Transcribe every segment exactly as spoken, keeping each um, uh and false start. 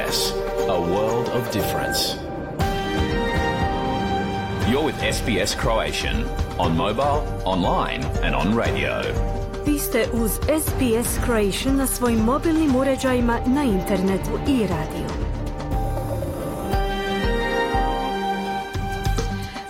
S, a world of difference. You're with S B S Croatian on mobile, online and on radio. Vi ste uz S B S Croatian na svojim mobilnim uređajima, na internetu i radiju.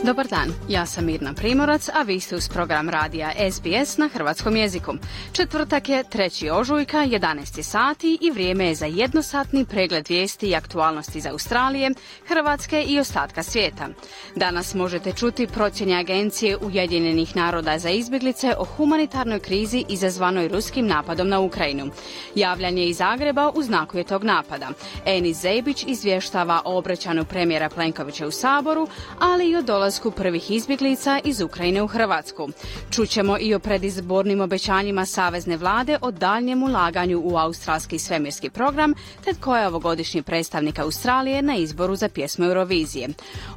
Dobar dan, ja sam Mirna Primorac, a vi ste uz program radija S B S na hrvatskom jeziku. Četvrtak je treći ožujka, jedanaest sati i vrijeme je za jednosatni pregled vijesti i aktualnosti iz Australije, Hrvatske i ostatka svijeta. Danas možete čuti procjene Agencije Ujedinjenih naroda za izbjeglice o humanitarnoj krizi izazvanoj ruskim napadom na Ukrajinu. Javljanje iz Zagreba u znaku je tog napada. Enis Zebić izvještava o obraćanju premijera Plenkovića u Saboru, ali i o dolasku prvih izbjeglica iz Ukrajine u Hrvatsku. Čućemo i o predizbornim obećanjima savezne vlade o daljnjem ulaganju u australski svemirski program, te tko je ovogodišnji predstavnik Australije na izboru za pjesmu Eurovizije.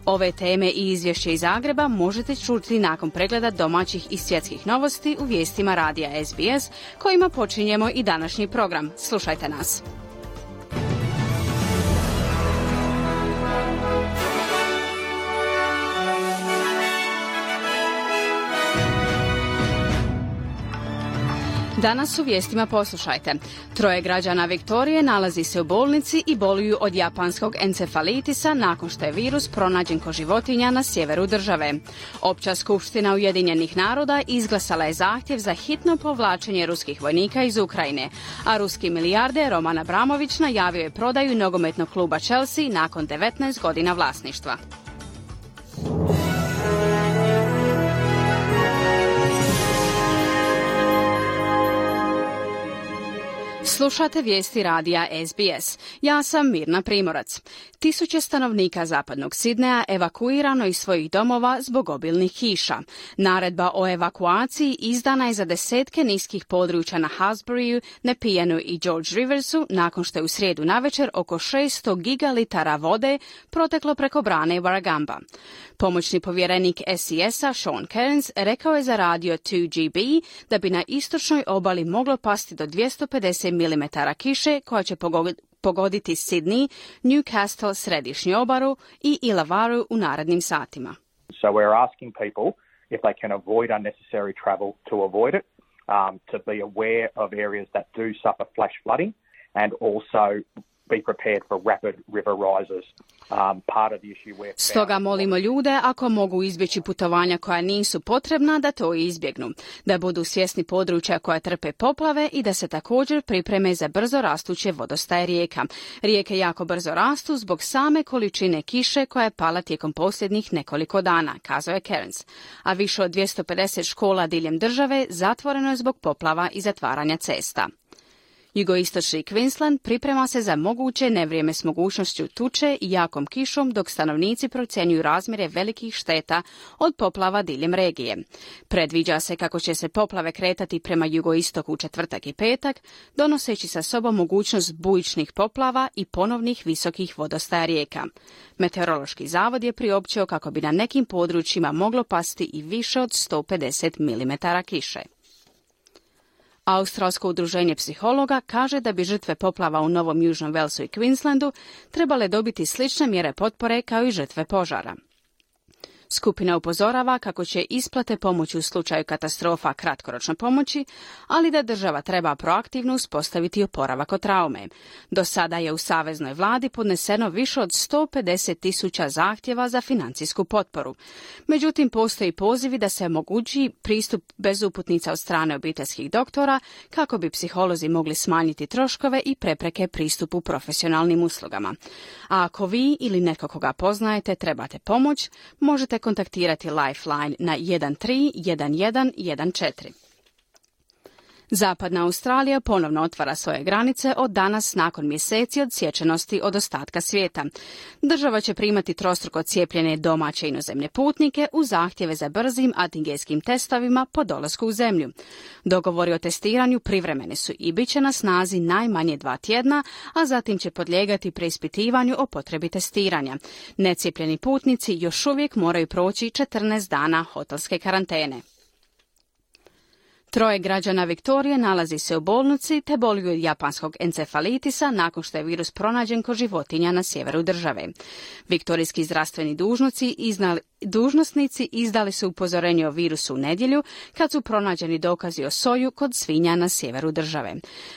Ove teme i izvješće iz Zagreba možete čuti nakon pregleda domaćih i svjetskih novosti u vijestima radija S B S, kojima počinjemo i današnji program. Slušajte nas. Danas u vijestima poslušajte. Troje građana Viktorije nalazi se u bolnici i boluju od japanskog encefalitisa nakon što je virus pronađen kod životinja na sjeveru države. Opća skupština Ujedinjenih naroda izglasala je zahtjev za hitno povlačenje ruskih vojnika iz Ukrajine, a ruski milijarder Roman Abramović najavio je prodaju nogometnog kluba Chelsea nakon devetnaest godina vlasništva. Slušate vijesti radija S B S. Ja sam Mirna Primorac. Tisuće stanovnika zapadnog Sidneja evakuirano iz svojih domova zbog obilnih kiša. Naredba o evakuaciji izdana je za desetke niskih područja na Hasburyu, Nepijanu i George Riversu nakon što je u srijedu navečer oko šesto gigalitara vode proteklo preko brane Warragamba. Pomoćni povjerenik S I S-a Sean Cairns rekao je za radio two G B da bi na istočnoj obali moglo pasti do dvjesto pedeset milimetara kiše koja će pogoditi Sydney, Newcastle, središnju obalu i Illawarra u narednim satima. So we're asking people if they can avoid unnecessary travel to avoid it, um, to be aware of areas that do suffer flash flooding and also be prepared for rapid river rises. Um, part of the issue we're Stoga molimo ljude, ako mogu izbjeći putovanja koja nisu potrebna, da to izbjegnu, da budu svjesni područja koja trpe poplave i da se također pripreme za brzo rastuće vodostaje rijeka. Rijeke jako brzo rastu zbog same količine kiše koja je pala tijekom posljednjih nekoliko dana, kazao je Cairns. A više od dvjesto pedeset škola diljem države zatvoreno je zbog poplava i zatvaranja cesta. Jugoistočni Queensland priprema se za moguće nevrijeme s mogućnošću tuče i jakom kišom, dok stanovnici procjenjuju razmjere velikih šteta od poplava diljem regije. Predviđa se kako će se poplave kretati prema jugoistoku u četvrtak i petak, donoseći sa sobom mogućnost bujičnih poplava i ponovnih visokih vodostaja rijeka. Meteorološki zavod je priopćio kako bi na nekim područjima moglo pasti i više od sto pedeset milimetara kiše. Australsko udruženje psihologa kaže da bi žrtve poplava u Novom Južnom Walesu i Queenslandu trebale dobiti slične mjere potpore kao i žrtve požara. Skupina upozorava kako će isplate pomoći u slučaju katastrofa kratkoročno pomoći, ali da država treba proaktivno uspostaviti oporavak od traume. Do sada je u saveznoj vladi podneseno više od sto pedeset tisuća zahtjeva za financijsku potporu. Međutim, postoji pozivi da se omogući pristup bez uputnica od strane obiteljskih doktora kako bi psiholozi mogli smanjiti troškove i prepreke pristupu profesionalnim uslugama. A ako vi ili neko koga poznajete trebate pomoć, možete kontaktirati Lifeline na jedan tri jedan jedan jedan četiri. Zapadna Australija ponovno otvara svoje granice od danas nakon mjeseci odsječenosti od ostatka svijeta. Država će primati trostruko cijepljene domaće inozemne putnike uz zahtjeve za brzim antigenskim testovima po dolasku u zemlju. Dogovori o testiranju privremene su i bit će na snazi najmanje dva tjedna, a zatim će podlijegati preispitivanju o potrebi testiranja. Necijepljeni putnici još uvijek moraju proći četrnaest dana hotelske karantene. Troje građana Viktorije nalazi se u bolnici te boluju od japanskog encefalitisa nakon što je virus pronađen kod životinja na sjeveru države. Viktorijski zdravstveni dužnosnici iznali Dužnosnici izdali su upozorenje o virusu u nedjelju kad su pronađeni dokazi o soju kod svinja na sjeveru države.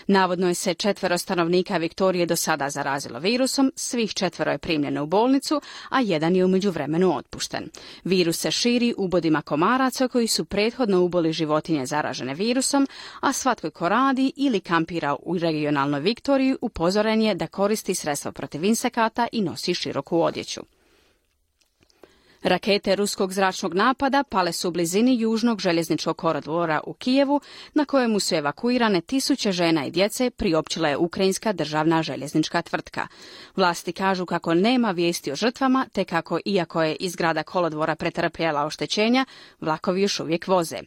Navodno je se četvero stanovnika Viktorije do sada zarazilo virusom, svih četvero je primljeno u bolnicu, a jedan je u međuvremenu otpušten. Virus se širi ubodima komaraca koji su prethodno uboli životinje zaražene virusom, a svatko ko radi ili kampira u regionalnoj Viktoriji upozoren je da koristi sredstva protiv insekata i nosi široku odjeću. Rakete ruskog zračnog napada pale su u blizini južnog željezničkog koridora u Kijevu, na kojemu su evakuirane tisuće žena i djece, priopćila je ukrajinska državna željeznička tvrtka. Vlasti kažu kako nema vijesti o žrtvama, te kako, iako je izgrada kolodvora pretrpjela oštećenja, vlakovi još uvijek voze.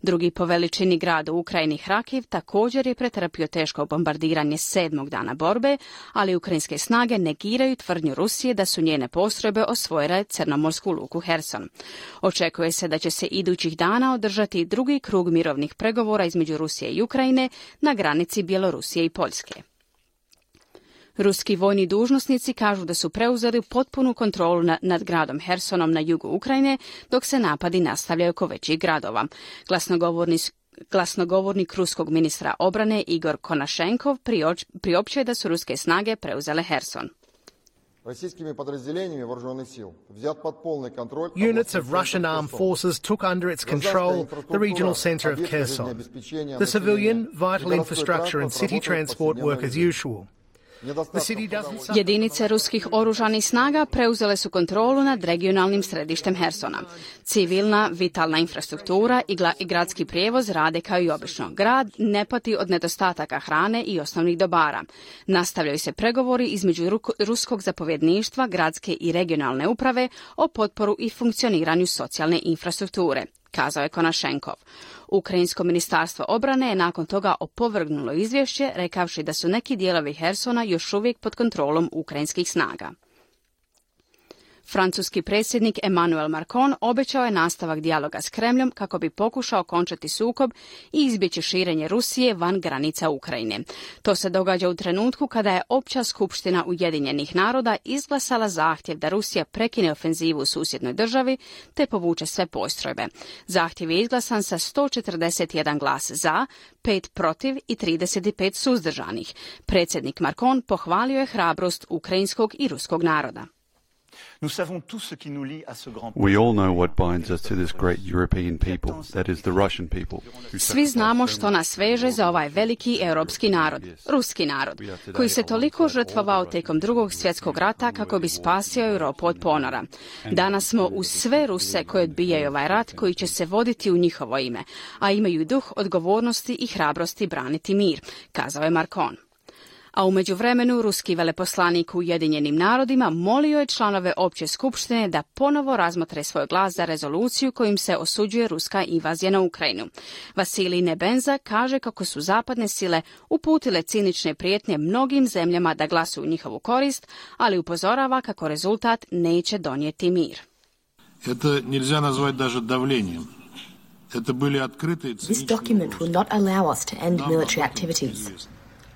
Drugi po veličini grad u Ukrajini, Hrakiv, također je pretrpio teško bombardiranje sedmog dana borbe, ali ukrajinske snage negiraju tvrdnju Rusije da su njene postrojbe osvojile crnomorsku luku Herson. Očekuje se da će se idućih dana održati drugi krug mirovnih pregovora između Rusije i Ukrajine na granici Bjelorusije i Poljske. Ruski vojni dužnosnici kažu da su preuzeli potpunu kontrolu nad, nad gradom Hersonom na jugu Ukrajine, dok se napadi nastavljaju oko većih gradova. Glasnogovorni Glasnogovornik ruskog ministra obrane Igor Konašenkov priopćuje da su ruske snage preuzele Herson. Units of Russian armed forces took under its control the regional center of Kherson. The civilian, vital infrastructure and city transport work as usual. Jedinice ruskih oružanih snaga preuzele su kontrolu nad regionalnim središtem Hersona. Civilna, vitalna infrastruktura i, i gradski prijevoz rade kao i obično. Grad ne pati od nedostataka hrane i osnovnih dobara. Nastavljaju se pregovori između ruskog zapovjedništva, gradske i regionalne uprave o potporu i funkcioniranju socijalne infrastrukture, kazao je Konašenkov. Ukrajinsko ministarstvo obrane je nakon toga opovrgnulo izvješće, rekavši da su neki dijelovi Hersona još uvijek pod kontrolom ukrajinskih snaga. Francuski predsjednik Emmanuel Macron obećao je nastavak dijaloga s Kremljom kako bi pokušao okončati sukob i izbjeći širenje Rusije van granica Ukrajine. To se događa u trenutku kada je Opća skupština Ujedinjenih naroda izglasala zahtjev da Rusija prekine ofenzivu u susjednoj državi te povuče sve postrojbe. Zahtjev je izglasan sa sto četrdeset jedan glas za, pet protiv i trideset pet suzdržanih. Predsjednik Macron pohvalio je hrabrost ukrajinskog i ruskog naroda. We all know what binds us to this great European people, that is the Russian people. Svi znamo što nas veže za ovaj veliki europski narod, ruski narod, koji se toliko žrtvovao tijekom drugog svjetskog rata kako bi spasio Europu od ponora. Danas smo uz sve Ruse koji odbijaju ovaj rat koji će se voditi u njihovo ime, a imaju duh odgovornosti i hrabrosti braniti mir, kazao je Macron. A u međuvremenu ruski veleposlanik u Ujedinjenim narodima molio je članove Opće skupštine da ponovo razmotre svoj glas za rezoluciju kojim se osuđuje ruska invazija na Ukrajinu. Vasilij Nebenza kaže kako su zapadne sile uputile cinične prijetnje mnogim zemljama da glasuju u njihovu korist, ali upozorava kako rezultat neće donijeti mir. This document will not allow us to end military activities.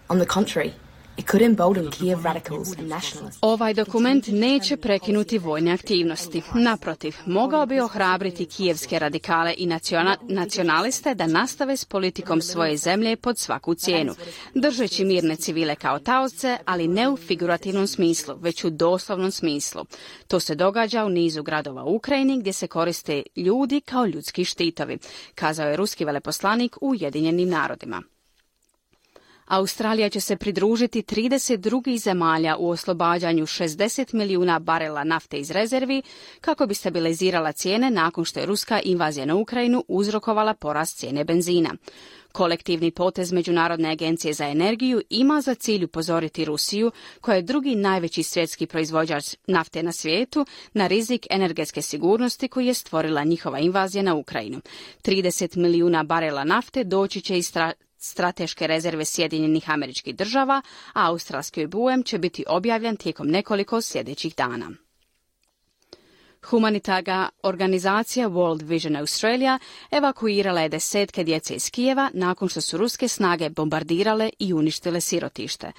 On the contrary, it could embolden Kiev radicals and nationalists. Ovaj dokument neće prekinuti vojne aktivnosti. Naprotiv, mogao bi ohrabriti kijevske radikale i naciona, nacionaliste da nastave s politikom svoje zemlje pod svaku cijenu, držeći mirne civile kao taoce, ali ne u figurativnom smislu, već u doslovnom smislu. To se događa u nizu gradova u Ukrajini gdje se koriste ljudi kao ljudski štitovi, kazao je ruski veleposlanik u Ujedinjenim narodima. Australija će se pridružiti trideset drugih zemalja u oslobađanju šezdeset milijuna barela nafte iz rezervi kako bi stabilizirala cijene nakon što je ruska invazija na Ukrajinu uzrokovala porast cijene benzina. Kolektivni potez Međunarodne agencije za energiju ima za cilj upozoriti Rusiju, koja je drugi najveći svjetski proizvođač nafte na svijetu, na rizik energetske sigurnosti koji je stvorila njihova invazija na Ukrajinu. trideset milijuna barela nafte doći će iz stra- strateške rezerve Sjedinjenih Američkih Država, a australski obujam će biti objavljen tijekom nekoliko sljedećih dana. Humanitarna organizacija World Vision Australia evakuirala je desetke djece iz Kijeva nakon što su ruske snage bombardirale i uništile sirotište.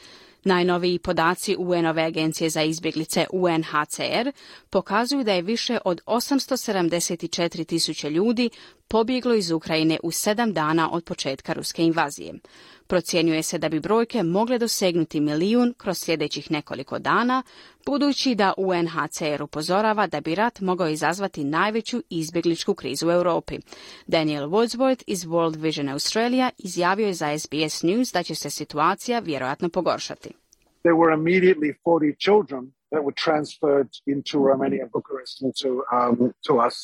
Najnoviji podaci U N-ove agencije za izbjeglice U N H C R pokazuju da je više od osamsto sedamdeset četiri tisuće ljudi pobjeglo iz Ukrajine u sedam dana od početka ruske invazije. Procjenjuje se da bi brojke mogle dosegnuti milijun kroz sljedećih nekoliko dana, budući da U N H C R upozorava da bi rat mogao izazvati najveću izbjegličku krizu u Europi. Daniel Woodsworth iz World Vision Australia izjavio je za S B S News da će se situacija vjerojatno pogoršati. There were immediately forty children that were transferred into Romania and Bucharest into um, to us.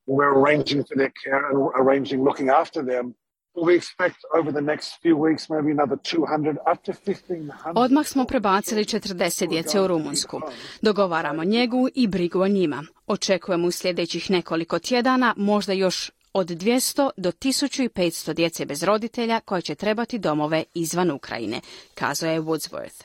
We're arranging for their care and arranging looking after them. We expect over the next few weeks maybe another two hundred up to fifteen hundred. Odmah smo prebacili četrdeset djece u Rumunjsku. Dogovaramo njegu i brigu o njima. Očekujemo u sljedećih nekoliko tjedana možda još od dvjesto do tisuću petsto djece bez roditelja koje će trebati domove izvan Ukrajine, kazao je Woodsworth.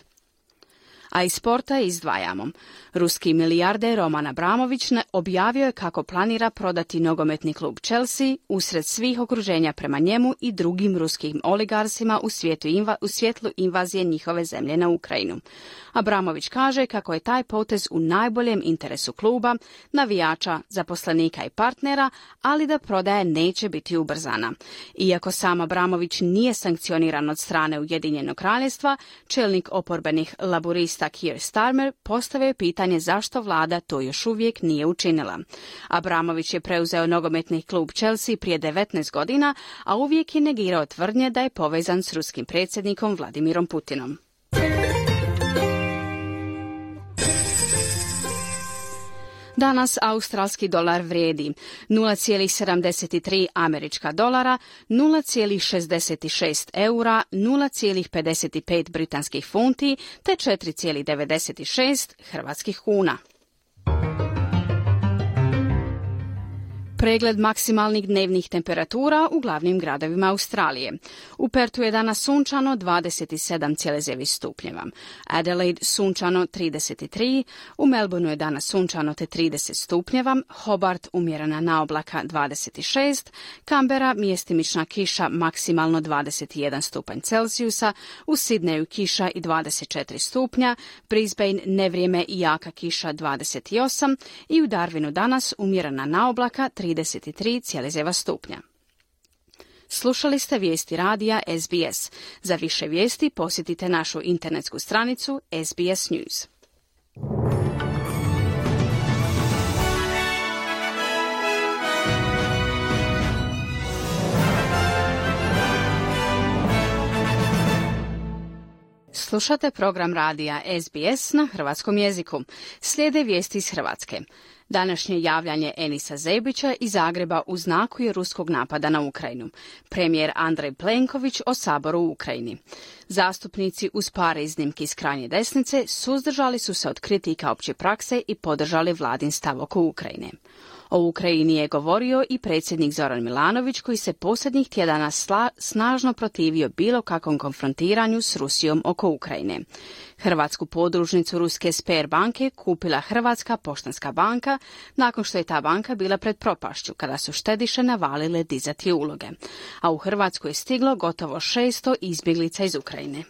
A iz sporta izdvajamo. Ruski milijarder Roman Abramović objavio je kako planira prodati nogometni klub Chelsea usred svih okruženja prema njemu i drugim ruskim oligarsima u, svijetu inva, u svjetlu invazije njihove zemlje na Ukrajinu. Abramović kaže kako je taj potez u najboljem interesu kluba, navijača, zaposlenika i partnera, ali da prodaja neće biti ubrzana. Iako sam Abramović nije sankcioniran od strane Ujedinjenog kraljevstva, čelnik oporbenih laburista Keir Starmer postavio je pitanje zašto vlada to još uvijek nije učinila. Abramović je preuzeo nogometni klub Chelsea prije devetnaest godina, a uvijek je negirao tvrdnje da je povezan s ruskim predsjednikom Vladimirom Putinom. Danas australski dolar vrijedi nula zarez sedamdeset tri američka dolara, nula zarez šezdeset šest eura, nula zarez pedeset pet britanskih funti te četiri zarez devedeset šest hrvatskih kuna. Pregled maksimalnih dnevnih temperatura u glavnim gradovima Australije. U Perthu je danas sunčano dvadeset sedam zarez devet stupnjeva. Adelaide sunčano trideset tri, u Melbourneu je danas sunčano te trideset stupnjeva, Hobart umjerena naoblaka dvadeset šest, Canberra mjestimična kiša maksimalno dvadeset jedan stupanj Celzijusa, u Sydneyu kiša i dvadeset četiri stupnja, Brisbane nevrijeme i jaka kiša dvadeset osam i u Darwinu danas umjerena naoblaka trideset tri zarez devet stupnja. Slušali ste vijesti radija S B S. Za više vijesti posjetite našu internetsku stranicu S B S News. Slušate program radija S B S na hrvatskom jeziku. Slijede vijesti iz Hrvatske. Današnje javljanje Enisa Zebića iz Zagreba u znaku je ruskog napada na Ukrajinu. Premijer Andrej Plenković o Saboru u Ukrajini. Zastupnici uz par iznimki iz krajnje desnice suzdržali su se od kritika opće prakse i podržali vladin stav oko Ukrajine. O Ukrajini je govorio i predsjednik Zoran Milanović, koji se posljednjih tjedana sla, snažno protivio bilo kakvom konfrontiranju s Rusijom oko Ukrajine. Hrvatsku podružnicu ruske Sber banke kupila Hrvatska poštanska banka nakon što je ta banka bila pred propašću kada su štediše navalile dizati uloge. A u Hrvatsku je stiglo gotovo šesto izbjeglica iz Ukrajine.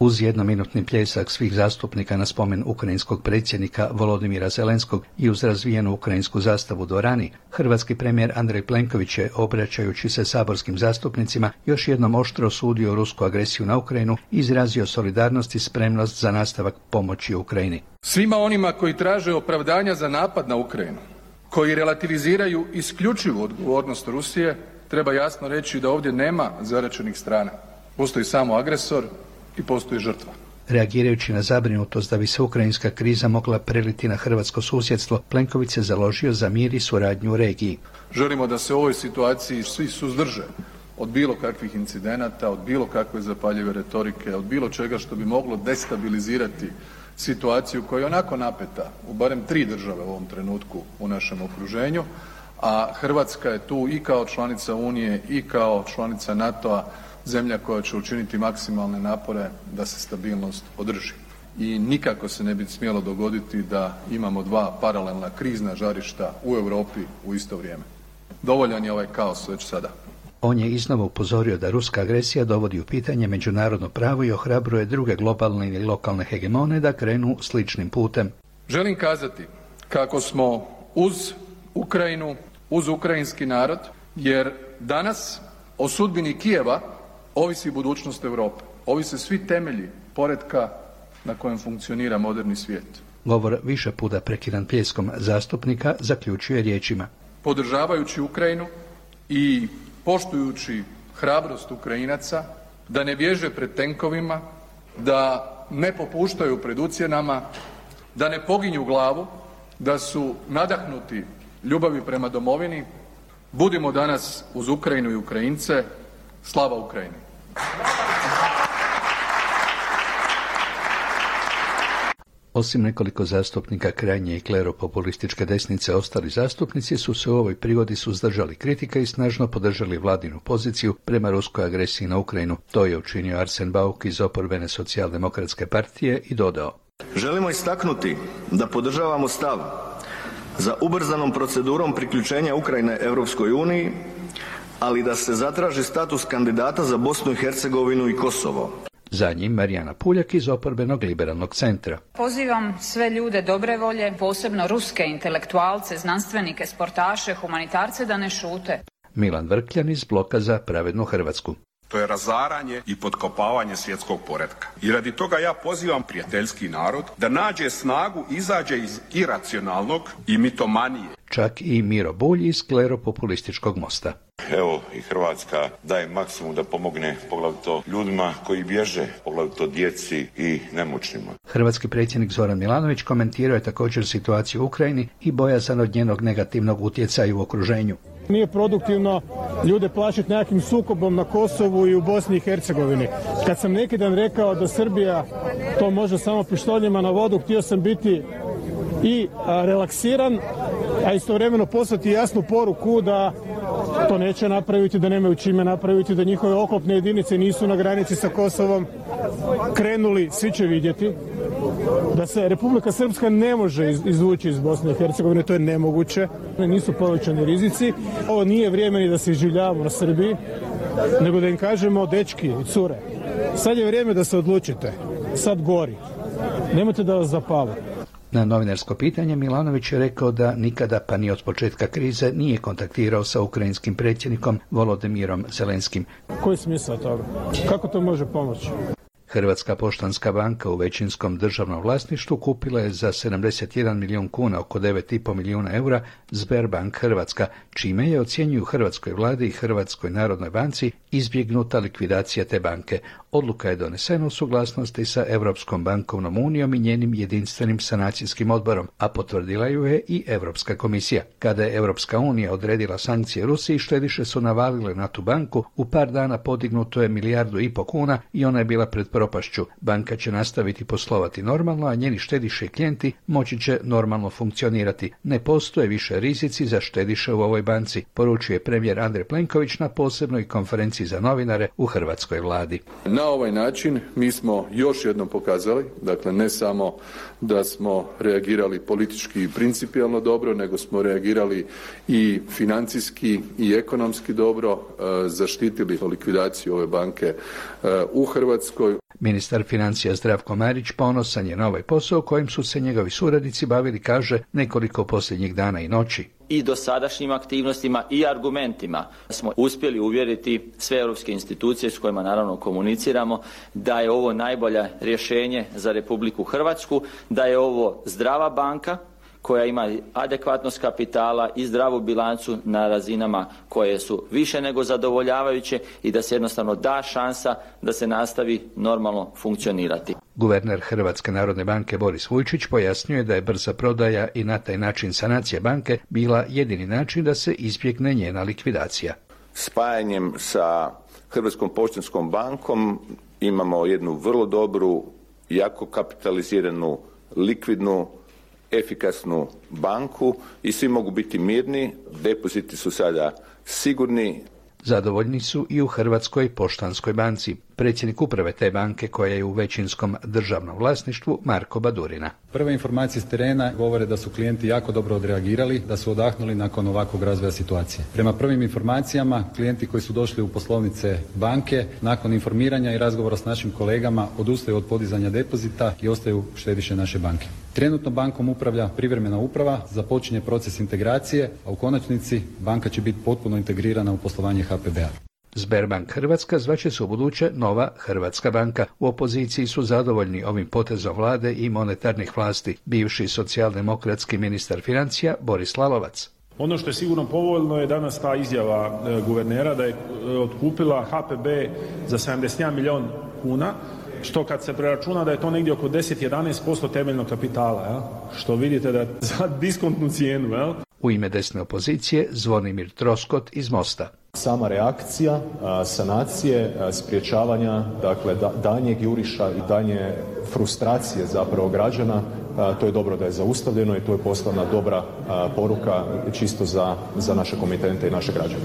Uz jednominutni pljesak svih zastupnika na spomen ukrajinskog predsjednika Volodimira Zelenskog i uz razvijenu ukrajinsku zastavu u dvorani, hrvatski premijer Andrej Plenković je, obraćajući se saborskim zastupnicima, još jednom oštro osudio rusku agresiju na Ukrajinu i izrazio solidarnost i spremnost za nastavak pomoći Ukrajini. Svima onima koji traže opravdanja za napad na Ukrajinu, koji relativiziraju isključivu odgovornost Rusije, treba jasno reći da ovdje nema zaračenih strana. Postoji samo agresor i postoji žrtva. Reagirajući na zabrinutost da bi se ukrajinska kriza mogla preliti na hrvatsko susjedstvo, Plenković se založio za mir i suradnju u regiji. Želimo da se u ovoj situaciji svi suzdrže od bilo kakvih incidenata, od bilo kakve zapaljive retorike, od bilo čega što bi moglo destabilizirati situaciju koja je onako napeta u barem tri države u ovom trenutku u našem okruženju, a Hrvatska je tu i kao članica Unije i kao članica NATO-a zemlja koja će učiniti maksimalne napore da se stabilnost održi. i nikako se ne bi smjelo dogoditi da imamo dva paralelna krizna žarišta u Europi u isto vrijeme. Dovoljan je ovaj kaos već sada. On je iznova upozorio da ruska agresija dovodi u pitanje međunarodno pravo i ohrabruje druge globalne i lokalne hegemone da krenu sličnim putem. Želim kazati kako smo uz Ukrajinu, uz ukrajinski narod, jer danas o sudbini Kijeva ovisi budućnost Europe. Ovise svi temelji poretka na kojem funkcionira moderni svijet. Govor više puta prekidan pljeskom zastupnika zaključuje riječima. Podržavajući Ukrajinu i poštujući hrabrost Ukrajinaca da ne bježe pred tenkovima, da ne popuštaju pred ucjenama, da ne poginju glavu, da su nadahnuti ljubavi prema domovini, budimo danas uz Ukrajinu i Ukrajince. Slava Ukrajini! Osim nekoliko zastupnika krajnje i kleropopulističke desnice, ostali zastupnici su se u ovoj prigodi suzdržali kritika i snažno podržali vladinu poziciju prema ruskoj agresiji na Ukrajinu. To je učinio Arsen Bauk iz oporbene socijaldemokratske partije i dodao. Želimo istaknuti da podržavamo stav za ubrzanom procedurom priključenja Ukrajine Europskoj uniji, ali da se zatraži status kandidata za Bosnu i Hercegovinu i Kosovo. Za njim Marijana Puljak iz oporbenog liberalnog centra. Pozivam sve ljude dobre volje, posebno ruske intelektualce, znanstvenike, sportaše, humanitarce da ne šute. Milan Vrkljan iz Bloka za pravednu Hrvatsku. To je razaranje i potkopavanje svjetskog poretka. I radi toga ja pozivam prijateljski narod da nađe snagu, izađe iz iracionalnog i mitomanije. Čak i Miro Bulj iz kleropopulističkog Mosta. Evo i Hrvatska daje maksimum da pomogne poglavito ljudima koji bježe, poglavito djeci i nemoćnima. Hrvatski predsjednik Zoran Milanović komentirao je također situaciju u Ukrajini i bojazan od njenog negativnog utjecaja u okruženju. Nije produktivno ljude plašiti nekakvim sukobom na Kosovu i u Bosni i Hercegovini. Kad sam neki dan rekao da Srbija to može samo pištoljima na vodu, htio sam biti i a, relaksiran, a istovremeno poslati jasnu poruku da to neće napraviti, da nemaju čime napraviti, da njihove oklopne jedinice nisu na granici sa Kosovom krenuli, svi će vidjeti, da se Republika Srpska ne može izvući iz Bosne i Hercegovine, to je nemoguće, nisu povećani rizici. Ovo nije vrijeme ni da se iživljavamo na Srbiji, nego da im kažemo, dečki i cure, sad je vrijeme da se odlučite, sad gori, nemojte da vas zapali. Na novinarsko pitanje Milanović je rekao da nikada, pa ni od početka krize, nije kontaktirao sa ukrajinskim predsjednikom Volodimirom Zelenskim. Koji je smisao toga? Kako to može pomoći? Hrvatska poštanska banka u većinskom državnom vlasništvu kupila je za sedamdeset jedan milijun kuna, oko devet i pol milijuna eura, Sberbank Hrvatska, čime je, ocjenjuju hrvatskoj vladi i Hrvatskoj narodnoj banci, izbjegnuta likvidacija te banke. Odluka je donesena u suglasnosti sa Europskom bankovnom unijom i njenim jedinstvenim sanacijskim odborom, a potvrdila ju je i Europska komisija. Kada je Europska unija odredila sankcije Rusiji, štediše su navalile na tu banku, u par dana podignuto je milijardu i po kuna i ona je bila pred propašću. Banka će nastaviti poslovati normalno, a njeni štediše i klijenti moći će normalno funkcionirati. Ne postoje više rizici za štediše u ovoj banci, poručuje premijer Andrej Plenković na posebnoj konferenciji za novinare u hrvatskoj vladi. Na ovaj način mi smo još jednom pokazali, dakle ne samo da smo reagirali politički i principijelno dobro, nego smo reagirali i financijski i ekonomski dobro, zaštitili likvidaciju ove banke u Hrvatskoj. Ministar financija Zdravko Marić ponosan je na ovaj posao kojim su se njegovi suradnici bavili, kaže, nekoliko posljednjih dana i noći. I dosadašnjim aktivnostima i argumentima smo uspjeli uvjeriti sve europske institucije s kojima naravno komuniciramo da je ovo najbolje rješenje za Republiku Hrvatsku, da je ovo zdrava banka koja ima adekvatnost kapitala i zdravu bilancu na razinama koje su više nego zadovoljavajuće i da se jednostavno da šansa da se nastavi normalno funkcionirati. Guverner Hrvatske narodne banke Boris Vujčić pojasnjuje da je brza prodaja i na taj način sanacija banke bila jedini način da se izbjegne njena likvidacija. Spajanjem sa Hrvatskom poštanskom bankom imamo jednu vrlo dobru, jako kapitaliziranu, likvidnu, efikasnu banku i svi mogu biti mirni, depoziti su sada sigurni. Zadovoljni su i u Hrvatskoj poštanskoj banci. predsjednik uprave te banke koja je u većinskom državnom vlasništvu Marko Badurina. Prve informacije s terena govore da su klijenti jako dobro odreagirali, da su odahnuli nakon ovakvog razvoja situacije. Prema prvim informacijama, klijenti koji su došli u poslovnice banke, nakon informiranja i razgovora s našim kolegama, odustaju od podizanja depozita i ostaju štediše naše banke. Trenutno bankom upravlja privremena uprava, započinje proces integracije, a u konačnici banka će biti potpuno integrirana u poslovanje H P B-a. Sberbank Hrvatska zvaće se ubuduće Nova Hrvatska banka. U opoziciji su zadovoljni ovim potezom vlade i monetarnih vlasti. Bivši socijaldemokratski ministar financija Boris Lalovac. Ono što je sigurno povoljno je danas ta izjava e, guvernera da je e, otkupila H P B za sedamdeset jedan milijun kuna, što kad se preračuna da je to negdje oko deset do jedanaest posto temeljnog kapitala, jel? Što vidite da za diskontnu cijenu. Jel? U ime desne opozicije Zvonimir Troskot iz Mosta. Sama reakcija, sanacije, sprječavanja, dakle daljnjeg juriša i daljnje frustracije zapravo građana, to je dobro da je zaustavljeno i to je poslana dobra poruka čisto za, za naše komitente i naše građane.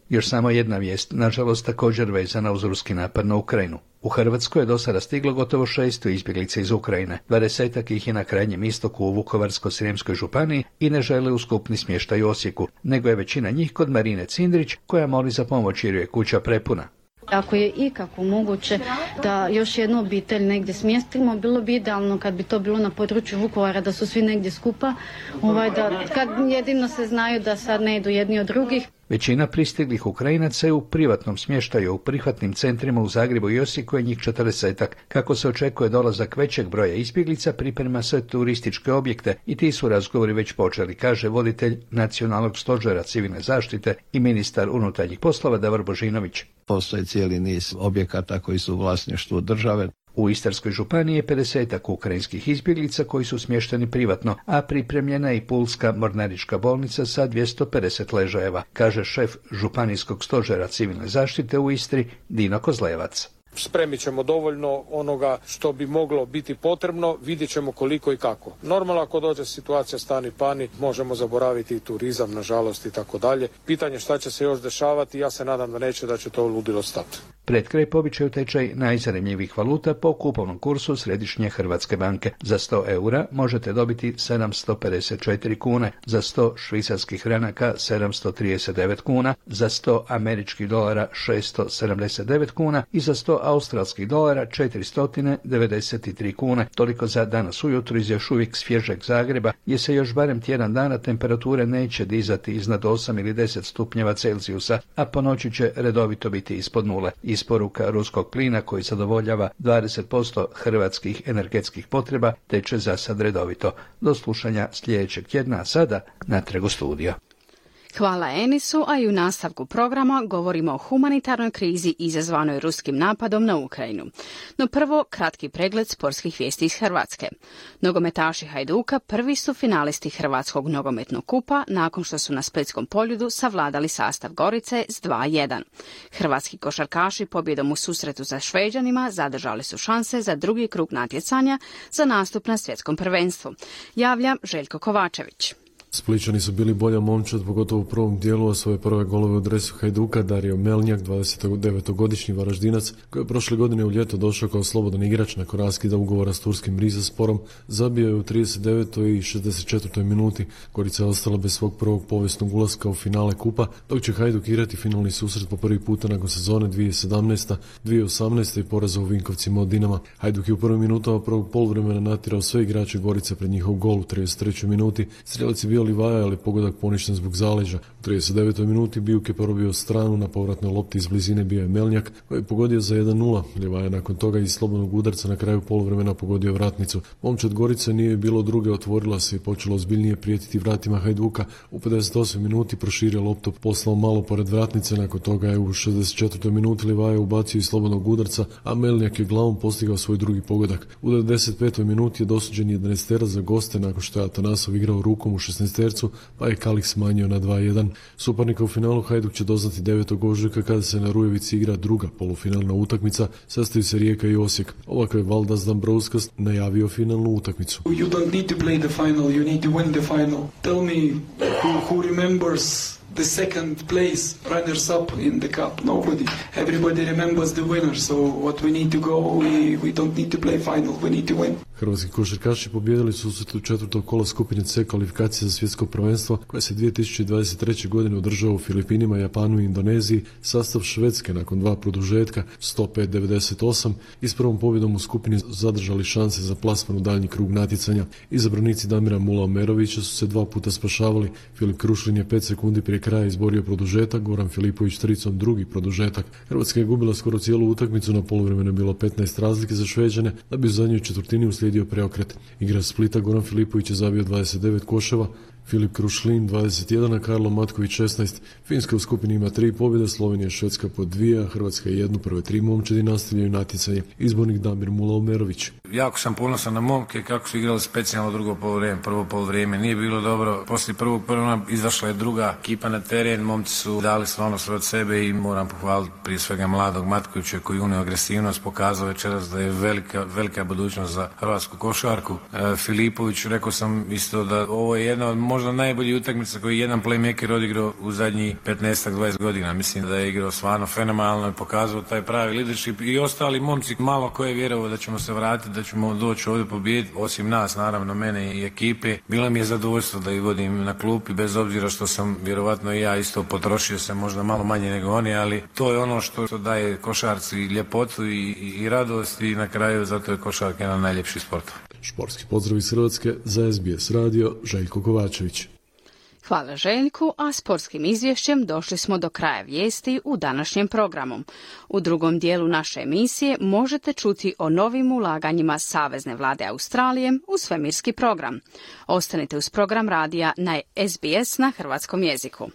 Još samo jedna vijest, nažalost također vezana uz ruski napad na Ukrajinu. U Hrvatskoj je do sada stiglo gotovo šesto izbjeglica iz Ukrajine. Dvadesetak ih je na krajnjem istoku u Vukovarsko-srijemskoj županiji i ne žele u skupni smještaj u Osijeku, nego je većina njih kod Marine Cindrić koja moli za pomoć jer je kuća prepuna. Ako je ikako moguće da još jednu obitelj negdje smjestimo, bilo bi idealno kad bi to bilo na području Vukovara, da su svi negdje skupa, ovaj, da, kad jedino se znaju da sad ne idu jedni od drugih. Većina pristiglih Ukrajinaca je u privatnom smještaju u prihvatnim centrima u Zagrebu i Osijeku je njih četrdesetak. Kako se očekuje dolazak većeg broja izbjeglica, priprema se turističke objekte i ti su razgovori već počeli, kaže voditelj Nacionalnog stožera civilne zaštite i ministar unutarnjih poslova Davor Božinović. Postoji cijeli niz objekata koji su u vlasništvu države. U Istarskoj županiji je pedesetak ukrajinskih izbjeglica koji su smješteni privatno, a pripremljena je i Pulska mornarička bolnica sa dvjesto pedeset ležajeva, kaže šef županijskog stožera civilne zaštite u Istri Dino Kozlevac. Spremit ćemo dovoljno onoga što bi moglo biti potrebno, vidjet ćemo koliko i kako. Normalno ako dođe situacija stani pani, možemo zaboraviti i turizam, nažalost i tako dalje. Pitanje šta će se još dešavati, ja se nadam da neće, da će to ludilo stati. Pred kraj pobičaju tečaj najzanimljivih valuta po kupovnom kursu Središnje Hrvatske banke. Za sto eura možete dobiti sedamsto pedeset četiri kune, za sto švicarskih franaka sedamsto trideset devet kuna, za sto američkih dolara šesto sedamdeset devet kuna i za sto australskih dolara četiristo devedeset tri kune. Toliko za danas ujutro iz još uvijek svježeg Zagreba, gdje se još barem tjedan dana temperature neće dizati iznad osam ili deset stupnjeva Celzijusa, a po noći će redovito biti ispod nule. Isporuka ruskog plina koji zadovoljava dvadeset posto hrvatskih energetskih potreba teče za sad redovito. Do slušanja sljedećeg tjedna, a sada natrag u studio. Hvala Enisu, a i u nastavku programa govorimo o humanitarnoj krizi izazvanoj ruskim napadom na Ukrajinu. No prvo, kratki pregled sportskih vijesti iz Hrvatske. Nogometaši Hajduka prvi su finalisti Hrvatskog nogometnog kupa nakon što su na splitskom Poljudu savladali sastav Gorice s dva jedan. Hrvatski košarkaši pobjedom u susretu sa Šveđanima zadržali su šanse za drugi krug natjecanja za nastup na svjetskom prvenstvu. Javlja Željko Kovačević. Splićani su bili bolja momčad, pogotovo u prvom dijelu, a svoje prve golove u dresu Hajduka Dario Melnjak, dvadesetdevetogodišnji Varaždinac, koji je prošle godine u ljeto došao kao slobodan igrač nakon raskida ugovora s turskim Rizesporom, zabio je u trideset devetoj i šezdeset četvrtoj minuti. Gorica je ostala bez svog prvog povijesnog ulaska u finale kupa, dok će Hajduk igrati finalni susret po prvi puta nakon sezone dvije tisuće sedamnaeste dvije tisuće osamnaeste i poraza u Vinkovcima od Dinama. Hajduk je u prvim minutama prvog poluvremena natjerao sve igrače Gorice pred njihov gol u trideset trećoj minuti. Strelac je bio Livaja, ali pogodak poništen zbog zaleđa. U trideset devetoj minuti Bijuk je porobio stranu, na povratnoj lopti iz blizine bio je Melnjak, koji je pogodio za jedan nula. Livaja nakon toga iz slobodnog udarca na kraju poluvremena pogodio vratnicu. Momčad Gorice nije bilo druge, otvorila se i počela ozbiljnije prijetiti vratima Hajduka. U pedeset osmoj minuti proširio loptu, poslao malo pored vratnice, nakon toga je u šezdeset četvrtoj minuti Livaja ubacio iz slobodnog udarca, a Melnjak je glavom postigao svoj drugi pogodak. U devedeset petoj minuti je dosuđen jedanaesterac za goste nakon što je Atanasov igrao rukom u šesnaestercu, pa je Kalik smanjio na dva jedan. Suparnika u finalu Hajduk će doznati devetog ožujka kada se na Rujevici igra druga polufinalna utakmica, sastaju se Rijeka i Osijek. Ovako je Valdas Dambrauskas najavio finalnu utakmicu. You don't need to play the final, you need to win the final. Tell me who, who remembers the second place runners up in the cup. Nobody. Everybody remembers the winner. So what we need to go, we, we don't need to play final. We need to win. Hrvatski košarkaši pobijedili su u četvrtog kola skupine C kvalifikacije za svjetsko prvenstvo koje se dvije tisuće dvadeset treće. godine održao u Filipinima, Japanu i Indoneziji. Sastav Švedske nakon dva produžetka sto pet devedeset osam i s prvom pobjedom u skupini zadržali šanse za plasman u daljnji krug natjecanja. Izabranici Damira Mula-Omerovića su se dva puta spašavali. Filip Krušlin je pet sekundi prije kraja izborio produžetak, Goran Filipović tricom drugi produžetak. Hrvatska je gubila skoro cijelu utakmicu, na poluvremenu je bilo petnaest razlike za Šveđane, da bi u zadnjoj četvrtini uslijedio preokret. Igrač Splita Goran Filipović je zabio dvadeset devet koševa, Filip Krušlin dvadeset jedan, a Karlo Matković šesnaest. Finska u skupini ima tri pobjede, Slovenija i Švedska po dvije, a Hrvatska jednu. Prve tri momčadi nastavljaju natjecanje. Izbornik Damir Mula-Omerović. Jako sam ponosan na momke kako su igrali specijalno drugo poluvrijeme. Prvo poluvrijeme nije bilo dobro. Poslije prvog prvog izašla je druga ekipa na teren. Momci su dali stvarno sve od sebe i moram pohvaliti prije svega mladog Matkovića koji unio agresivnost, pokazao večeras da je velika, velika budućnost za hrvatsku košarku. E, Filipović, rekao sam isto da ovo je jedna od možda najbolji utakmica koji je jedan playmaker odigrao u zadnjih petnaest do dvadeset godina. Mislim da je igrao stvarno fenomenalno i pokazao taj pravi leadership i ostali momci malo ko je vjerovao da ćemo se vratiti, da ćemo doći ovdje pobijediti, osim nas, naravno mene i ekipe. Bilo mi je zadovoljstvo da ih vodim na klupi, bez obzira što sam vjerovatno i ja isto potrošio se možda malo manje nego oni, ali to je ono što daje košarci ljepotu i, i, i radost i na kraju zato je košarka jedan najljepši sport. Športski pozdrav iz Hrvatske za S B S radio, Željko Kovačević. Hvala Željku, a sportskim izvješćem došli smo do kraja vijesti u današnjem programu. U drugom dijelu naše emisije možete čuti o novim ulaganjima Savezne vlade Australije u svemirski program. Ostanite uz program radija na S B S na hrvatskom jeziku.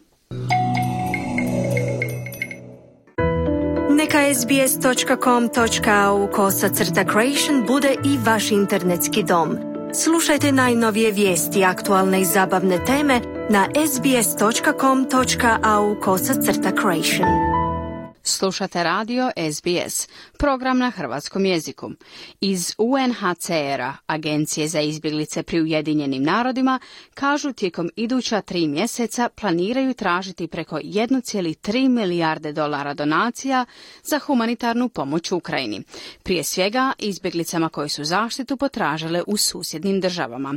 Neka sbs točka com točka a u kosacrta creation bude i vaš internetski dom. Slušajte najnovije vijesti, aktualne i zabavne teme na sbs točka com točka a u kosacrta creation. Slušate radio S B S, program na hrvatskom jeziku. Iz U N H C R-a, Agencije za izbjeglice pri Ujedinjenim narodima, kažu tijekom iduća tri mjeseca planiraju tražiti preko jedan zarez tri milijarde dolara donacija za humanitarnu pomoć Ukrajini. Prije svega izbjeglicama koje su zaštitu potražile u susjednim državama.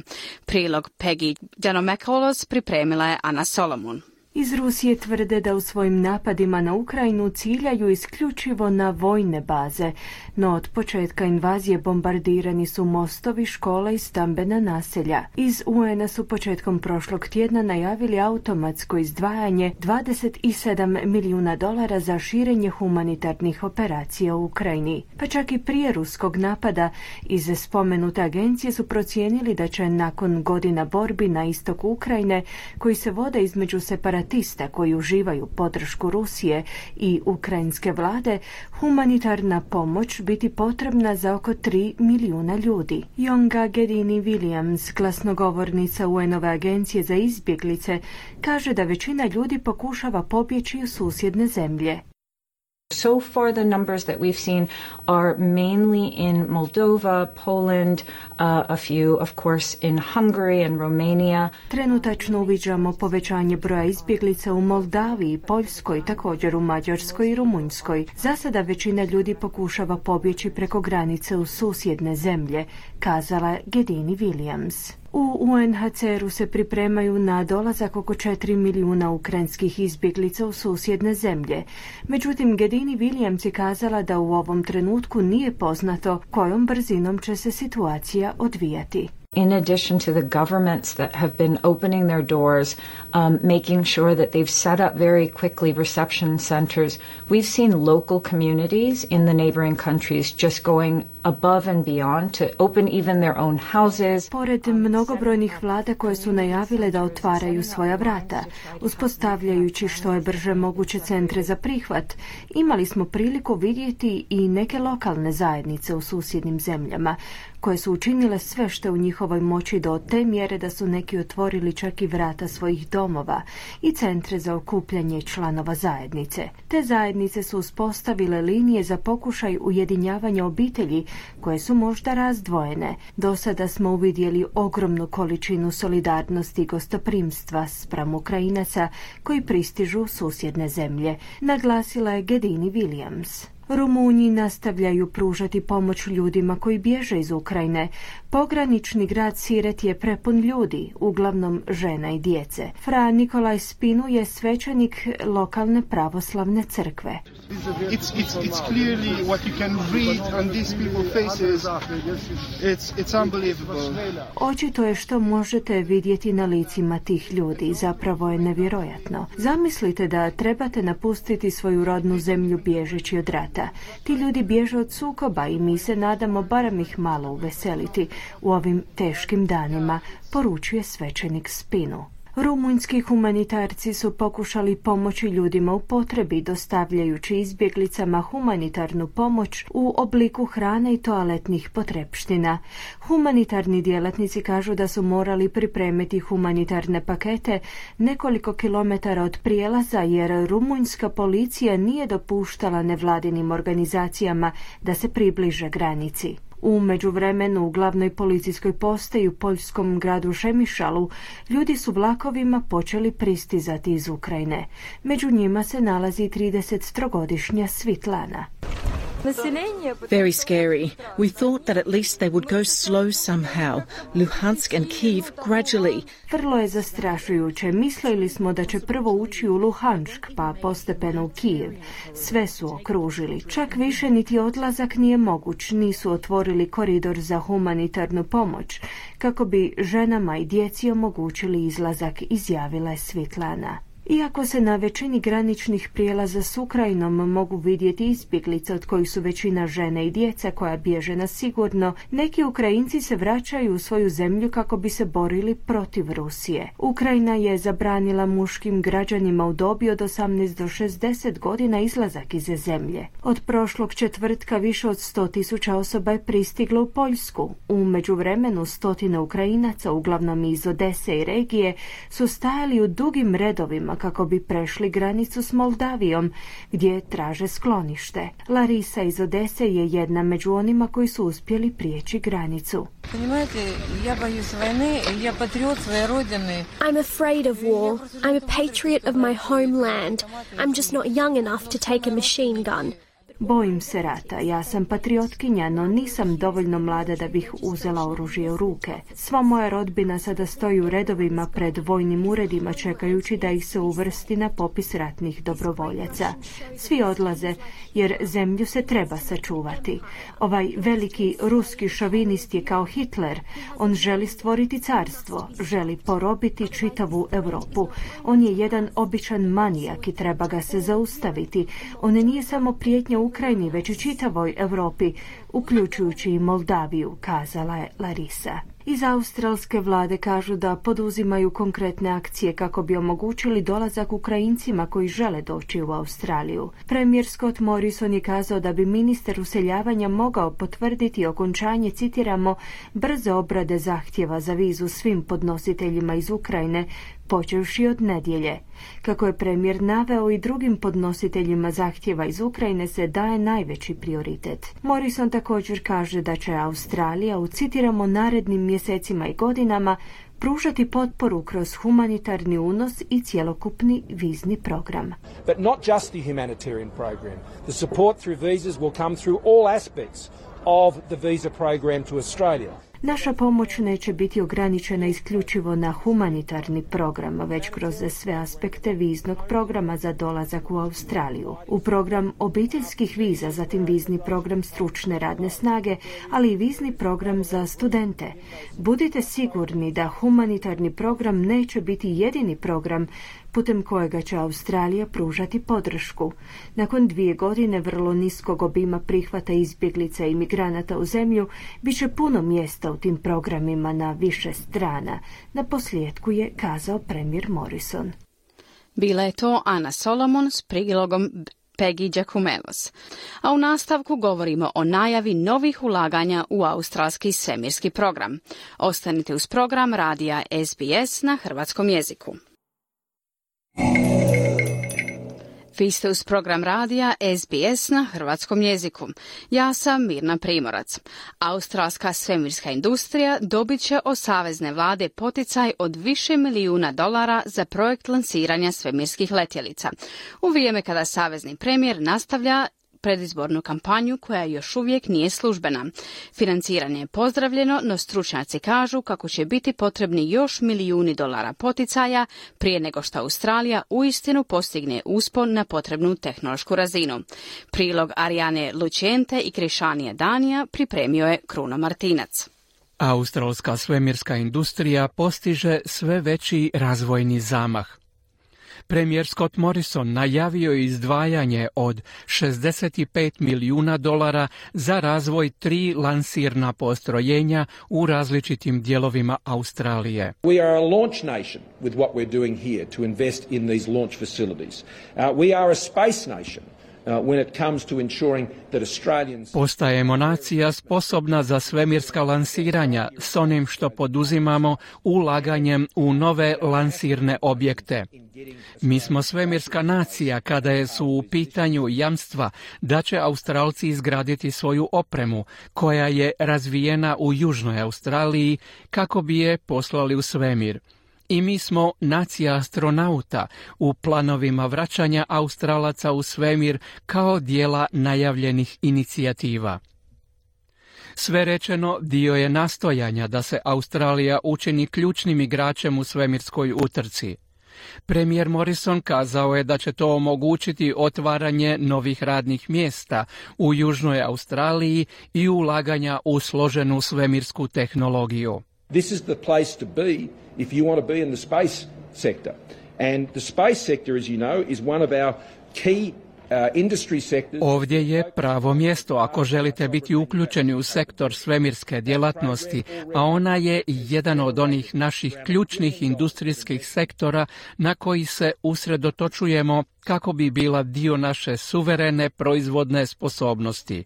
Prilog Peggy Giannomacoulos pripremila je Ana Solomon. Iz Rusije tvrde da u svojim napadima na Ukrajinu ciljaju isključivo na vojne baze, no od početka invazije bombardirani su mostovi, škole i stambena naselja. Iz U N-a su početkom prošlog tjedna najavili automatsko izdvajanje dvadeset sedam milijuna dolara za širenje humanitarnih operacija u Ukrajini. Pa čak i prije ruskog napada iz spomenute agencije su procijenili da će nakon godina borbi na istoku Ukrajine, koji se vode između separatista koji uživaju podršku Rusije i ukrajinske vlade, humanitarna pomoć biti potrebna za oko tri milijuna ljudi. Jonga Gedini Williams, glasnogovornica U N-ove agencije za izbjeglice, kaže da većina ljudi pokušava pobjeći u susjedne zemlje. So far, the numbers that we've seen are mainly in Moldova, Poland, uh, a few, of course, in Hungary and Romania. Trenutačno uviđamo povećanje broja izbjeglica u Moldaviji, Poljskoj, također u Mađarskoj i Rumunjskoj. Za sada većina ljudi pokušava pobjeći preko granice u susjedne zemlje, kazala Gedini Williams. U U N H C R-u se pripremaju na dolazak oko četiri milijuna ukrajinskih izbjeglica u susjedne zemlje. Međutim, Gedini Williams je kazala da u ovom trenutku nije poznato kojom brzinom će se situacija odvijati. In addition to the governments that have been opening their doors, um, making sure that they've set up very quickly reception centers, we've seen local communities in the neighboring countries just going above and beyond to open even their own houses. Pored mnogobrojnih vlada koje su najavile da otvaraju svoja vrata, uspostavljajući što je brže moguće centre za prihvat, imali smo priliku vidjeti i neke lokalne zajednice u susjednim zemljama, koje su učinile sve što u njihovoj moći do te mjere da su neki otvorili čak i vrata svojih domova i centre za okupljanje članova zajednice. Te zajednice su uspostavile linije za pokušaj ujedinjavanja obitelji koje su možda razdvojene. Do sada smo uvidjeli ogromnu količinu solidarnosti i gostoprimstva spram Ukrajinaca koji pristižu u susjedne zemlje, naglasila je Gedini Williams. Rumunji nastavljaju pružati pomoć ljudima koji bježe iz Ukrajine. Pogranični grad Siret je prepun ljudi, uglavnom žena i djece. Fra Nikolaj Spinu je svećenik lokalne pravoslavne crkve. It's, it's, it's clearly what you can read on these people's faces. It's, it's unbelievable. Očito je što možete vidjeti na licima tih ljudi. Zapravo je nevjerojatno. Zamislite da trebate napustiti svoju rodnu zemlju bježeći od rata. Ti ljudi bježe od sukoba i mi se nadamo barem ih malo uveseliti u ovim teškim danima, poručuje svećenik Spinu. Rumunjski humanitarci su pokušali pomoći ljudima u potrebi, dostavljajući izbjeglicama humanitarnu pomoć u obliku hrane i toaletnih potrepština. Humanitarni djelatnici kažu da su morali pripremiti humanitarne pakete nekoliko kilometara od prijelaza jer rumunjska policija nije dopuštala nevladinim organizacijama da se približe granici. U međuvremenu u glavnoj policijskoj postaji u poljskom gradu Šemišalu ljudi su vlakovima počeli pristizati iz Ukrajine. Među njima se nalazi tridesettrogodišnja Svitlana. Very scary. We thought that at least they would go slow somehow. Luhansk and Kiev gradually. Vrlo je zastrašujuće. Mislili smo da će prvo ući u Luhansk, pa postepeno u Kijev. Sve su okružili. Čak više niti odlazak nije moguć. Nisu otvorili koridor za humanitarnu pomoć, kako bi ženama i djeci omogućili izlazak, izjavila je Svitlana. Iako se na većini graničnih prijelaza s Ukrajinom mogu vidjeti izbjeglice od kojih su većina žene i djeca koja bježe na sigurno, neki Ukrajinci se vraćaju u svoju zemlju kako bi se borili protiv Rusije. Ukrajina je zabranila muškim građanima u dobi od osamnaest do šezdeset godina izlazak iz zemlje. Od prošlog četvrtka više od sto tisuća osoba je pristiglo u Poljsku. U međuvremenu stotine Ukrajinaca, uglavnom iz Odese i regije, su stajali u dugim redovima kako bi prešli granicu s Moldavijom, gdje traže sklonište. Larisa iz Odese je jedna među onima koji su uspjeli prijeći granicu. I'm afraid of war. I'm a patriot of my homeland. I'm just not young enough to take a machine gun. Bojim se rata, ja sam patriotkinja, no nisam dovoljno mlada da bih uzela oružje u ruke. Sva moja rodbina sada stoji u redovima pred vojnim uredima čekajući da ih se uvrsti na popis ratnih dobrovoljaca. Svi odlaze jer zemlju se treba sačuvati. Ovaj veliki ruski šovinist je kao Hitler. On želi stvoriti carstvo, želi porobiti čitavu Europu. On je jedan običan manijak i treba ga se zaustaviti. On nije samo prijetnja u Ukrajini, već i čitavoj Europi, uključujući i Moldaviju, kazala je Larisa. Iz australske vlade kažu da poduzimaju konkretne akcije kako bi omogućili dolazak Ukrajincima koji žele doći u Australiju. Premijer Scott Morrison je kazao da bi ministar useljavanja mogao potvrditi okončanje, citiramo, brze obrade zahtjeva za vizu svim podnositeljima iz Ukrajine, počevši od nedjelje. Kako je premijer naveo, i drugim podnositeljima zahtjeva iz Ukrajine se daje najveći prioritet. Morrison također kaže da će Australija u, citiramo, narednim mjesecima i godinama pružati potporu kroz humanitarni unos i cjelokupni vizni program. But not just the humanitarian program. The support through visas will come through all aspects of the visa program to Australia. Naša pomoć neće biti ograničena isključivo na humanitarni program, već kroz sve aspekte viznog programa za dolazak u Australiju. U program obiteljskih viza, zatim vizni program stručne radne snage, ali i vizni program za studente. Budite sigurni da humanitarni program neće biti jedini program putem kojega će Australija pružati podršku. Nakon dvije godine vrlo niskog obima prihvata izbjeglica i migranata u zemlju, bit će puno mjesta u tim programima na više strana. Na posljedku je kazao premijer Morrison. Bila je to Ana Solomon s prilogom Peggy Giacomelos. A u nastavku govorimo o najavi novih ulaganja u australski svemirski program. Ostanite uz program radija S B S na hrvatskom jeziku. Vi ste uz program radija S B S na hrvatskom jeziku. Ja sam Mirna Primorac. Australska svemirska industrija dobit će od savezne vlade poticaj od više milijuna dolara za projekt lansiranja svemirskih letjelica. U vrijeme kada savezni premijer nastavlja predizbornu kampanju koja još uvijek nije službena. Financiranje je pozdravljeno, no stručnjaci kažu kako će biti potrebni još milijuni dolara poticaja prije nego što Australija uistinu postigne uspon na potrebnu tehnološku razinu. Prilog Arijane Lučente i Krišanije Danija pripremio je Kruno Martinac. Australska svemirska industrija postiže sve veći razvojni zamah. Premijer Scott Morrison najavio je izdvajanje od šezdeset pet milijuna dolara za razvoj tri lansirna postrojenja u različitim dijelovima Australije. We are a launch nation with what we're doing here to invest in these launch facilities. Uh, we are a space nation. Uh, when it comes to ensuring that Australians... Postajemo nacija sposobna za svemirska lansiranja s onim što poduzimamo ulaganjem u nove lansirne objekte. Mi smo svemirska nacija kada je su u pitanju jamstva da će Australci izgraditi svoju opremu koja je razvijena u Južnoj Australiji kako bi je poslali u svemir. I mi smo nacija astronauta u planovima vraćanja Australaca u svemir kao dijela najavljenih inicijativa. Sve rečeno dio je nastojanja da se Australija učini ključnim igračem u svemirskoj utrci. Premijer Morrison kazao je da će to omogućiti otvaranje novih radnih mjesta u Južnoj Australiji i ulaganja u složenu svemirsku tehnologiju. This is the place to be if you want to be in the space sector. And the space sector, as you know, is one of our key uh, industry sectors. Ovdje je pravo mjesto ako želite biti uključeni u sektor svemirske djelatnosti, a ona je jedan od onih naših ključnih industrijskih sektora na koji se usredotočujemo kako bi bila dio naše suverene proizvodne sposobnosti.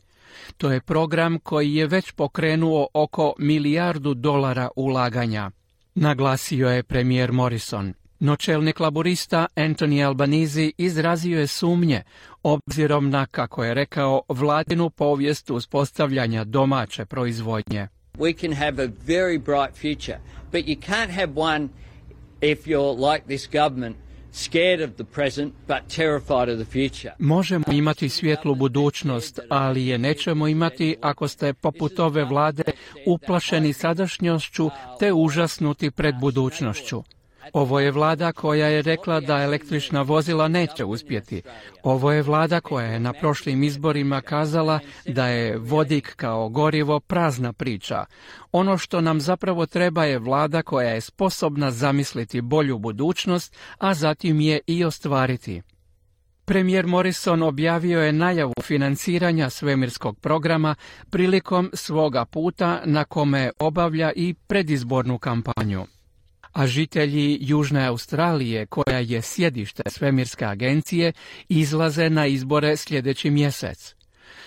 To je program koji je već pokrenuo oko milijardu dolara ulaganja, naglasio je premijer Morrison. No čelnik laborista Anthony Albanese izrazio je sumnje, obzirom na, kako je rekao, vladinu povijest uspostavljanja domaće proizvodnje. We can have a very bright future, but you can't have one if you're like this government. Scared of the present, but terrified of the future. Možemo imati svijetlu budućnost, ali je nećemo imati ako ste poput ove vlade uplašeni sadašnjošću te užasnuti pred budućnošću. Ovo je vlada koja je rekla da električna vozila neće uspjeti. Ovo je vlada koja je na prošlim izborima kazala da je vodik kao gorivo prazna priča. Ono što nam zapravo treba je vlada koja je sposobna zamisliti bolju budućnost, a zatim je i ostvariti. Premijer Morrison objavio je najavu financiranja svemirskog programa prilikom svoga puta na kome obavlja i predizbornu kampanju. A žitelji Južne Australije, koja je sjedište svemirske agencije, izlaze na izbore sljedeći mjesec.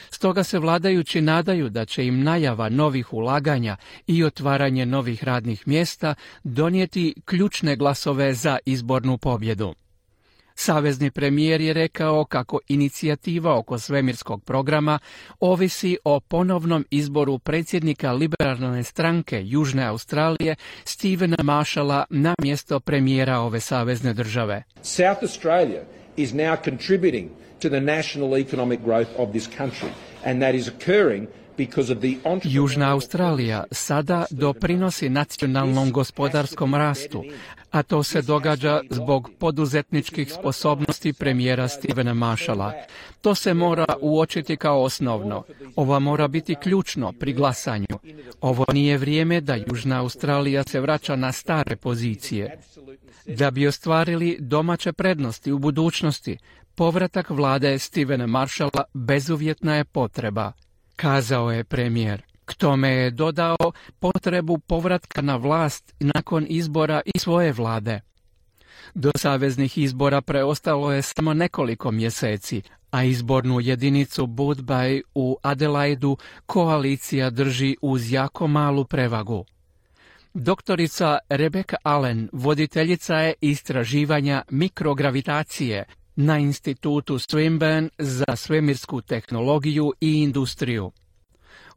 Stoga se vladajući nadaju da će im najava novih ulaganja i otvaranje novih radnih mjesta donijeti ključne glasove za izbornu pobjedu. Savezni premijer je rekao kako inicijativa oko svemirskog programa ovisi o ponovnom izboru predsjednika liberalne stranke Južne Australije Stevena Marshalla na mjesto premijera ove savezne države. South Australia is now contributing to the national economic growth of this country, and that is occurring because of the Južna Australija sada doprinosi nacionalnom gospodarskom rastu, a to se događa zbog poduzetničkih sposobnosti premijera Stevena Marshalla. To se mora uočiti kao osnovno. Ovo mora biti ključno pri glasanju. Ovo nije vrijeme da Južna Australija se vraća na stare pozicije. Da bi ostvarili domaće prednosti u budućnosti, povratak vlade Stevena Marshalla bezuvjetna je potreba, kazao je premijer. K tome je dodao potrebu povratka na vlast nakon izbora i svoje vlade. Do saveznih izbora preostalo je samo nekoliko mjeseci, a izbornu jedinicu Booth Bay u Adelaidu koalicija drži uz jako malu prevagu. Doktorica Rebecca Allen, voditeljica je istraživanja mikrogravitacije na institutu Swinburne za svemirsku tehnologiju i industriju.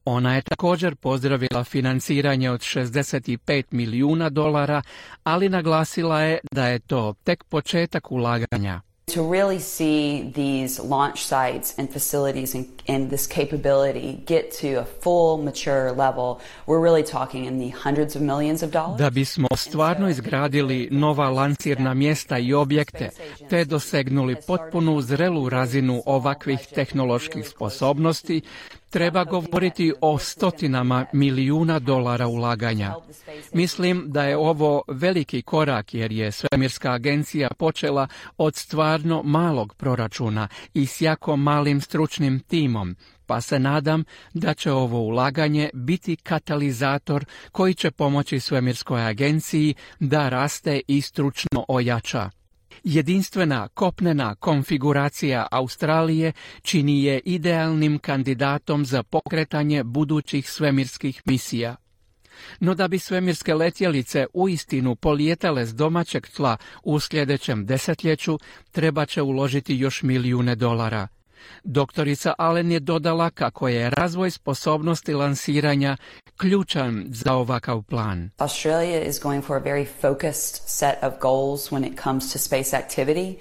Ona je također pozdravila financiranje od šezdeset pet milijuna dolara, ali naglasila je da je to tek početak ulaganja. To really see these launch sites and facilities and, and this capability get to a full mature level, we're really talking in the hundreds of millions of dollars. Da bismo stvarno izgradili nova lansirna mjesta i objekte, te dosegnuli potpunu zrelu razinu ovakvih tehnoloških sposobnosti, treba govoriti o stotinama milijuna dolara ulaganja. Mislim da je ovo veliki korak jer je svemirska agencija počela od stvarno malog proračuna i s jako malim stručnim timom, pa se nadam da će ovo ulaganje biti katalizator koji će pomoći svemirskoj agenciji da raste i stručno ojača. Jedinstvena kopnena konfiguracija Australije čini je idealnim kandidatom za pokretanje budućih svemirskih misija. No da bi svemirske letjelice uistinu polijetale s domaćeg tla u sljedećem desetljeću, treba će uložiti još milijune dolara. Doktorica Allen je dodala kako je razvoj sposobnosti lansiranja ključan za ovakav plan. Australia is going for a very focused set of goals when it comes to space activity,